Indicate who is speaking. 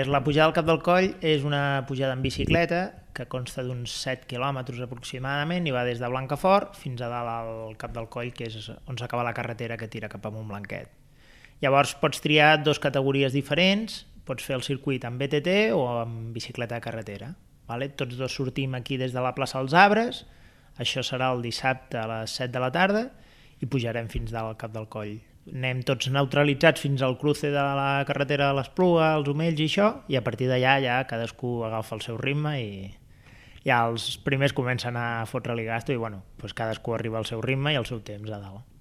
Speaker 1: La pujada al Cap del Coll és una pujada en bicicleta que consta d'uns 7 quilòmetres aproximadament i va des de Blancafort fins a dalt al Cap del Coll, que és on s'acaba la carretera que tira cap a Montblanquet. Llavors pots triar dues categories diferents, pots fer el circuit amb BTT o amb bicicleta de carretera. Tots dos sortim aquí des de la plaça dels Arbres, això serà el dissabte a les 7 de la tarda i pujarem fins dalt al Cap del Coll. Anem tots neutralitzats fins al cruce de la carretera de l'Espluga, els Omells i això, i a partir d'allà ja cadascú agafa el seu ritme i ja els primers comencen a fotre-li gasto i cadascú arriba al seu ritme i al seu temps a dalt.